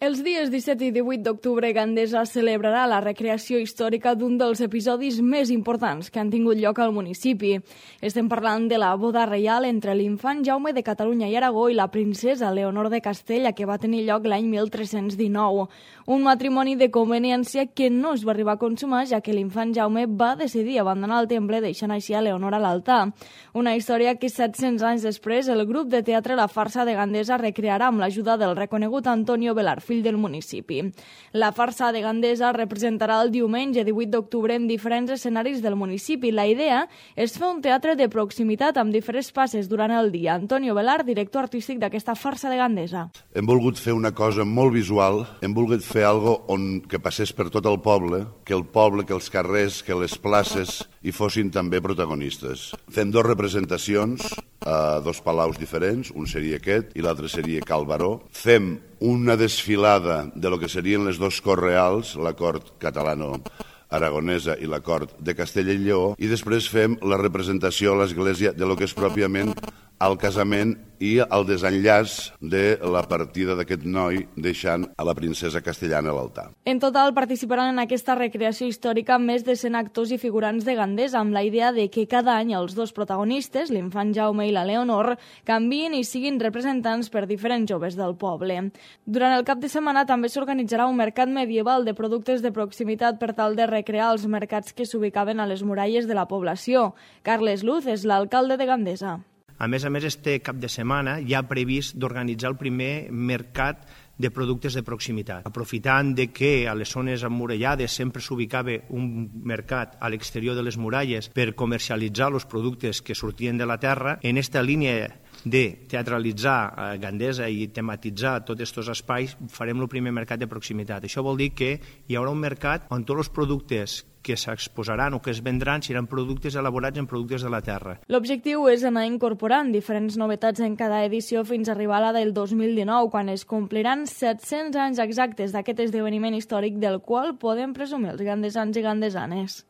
Els dies 17 i 18 d'octubre, Gandesa celebrarà la recreació històrica d'un dels episodis més importants que han tingut lloc al municipi. Estem parlant de la boda reial entre l'infant Jaume de Catalunya i Aragó i la princesa Leonor de Castella, que va tenir lloc l'any 1319. Un matrimoni de conveniència que no es va arribar a consumar, ja que l'infant Jaume va decidir abandonar el temple, deixant així a Leonor a l'altar. Una història que 700 anys després el grup de teatre La Farsa de Gandesa recrearà amb l'ajuda del reconegut Antonio Velar, fill del municipi. La farsa de Gandesa representarà el diumenge 18 d'octubre en diferents escenaris del municipi. La idea és fer un teatre de proximitat amb diferents passes durant el dia. Antonio Velar, director artístic d'aquesta farsa de Gandesa. Hem volgut fer una cosa molt visual, hem volgut fer algo que passés per tot el poble, que els carrers, que les places hi fossin també protagonistes. Fem dues representacions a dos palaus diferents, un seria aquest i l'altre seria Cal Baró. Fem una desfilada de lo que serien les dos corts reals, la cort catalano-aragonesa i la cort de Castella i Lleó, i després fem la representació a l'església de lo que és pròpiament el casament i el desenllaç de la partida d'aquest noi deixant a la princesa castellana a l'altar. En total participaran en aquesta recreació històrica més de 100 actors i figurants de Gandesa, amb la idea de que cada any els dos protagonistes, l'infant Jaume i la Leonor, canvien i siguin representants per diferents joves del poble. Durant el cap de setmana també s'organitzarà un mercat medieval de productes de proximitat per tal de recrear els mercats que s'ubicaven a les muralles de la població. Carles Luz és l'alcalde de Gandesa. A més, este cap de setmana hi ha previst d'organitzar el primer mercat de productes de proximitat. Aprofitant de que a les zones emmurallades sempre s'ubicava un mercat a l'exterior de les muralles per comercialitzar els productes que sortien de la terra, en esta línia de teatralitzar Gandesa i tematitzar tots aquests espais, farem el primer mercat de proximitat. Això vol dir que hi haurà un mercat on tots els productes que s'exposaran o que es vendran seran productes elaborats en productes de la terra. L'objectiu és anar incorporant diferents novetats en cada edició fins a arribar a la del 2019, quan es compliran 700 anys exactes d'aquest esdeveniment històric del qual podem presumir els gandesans i gandesanes.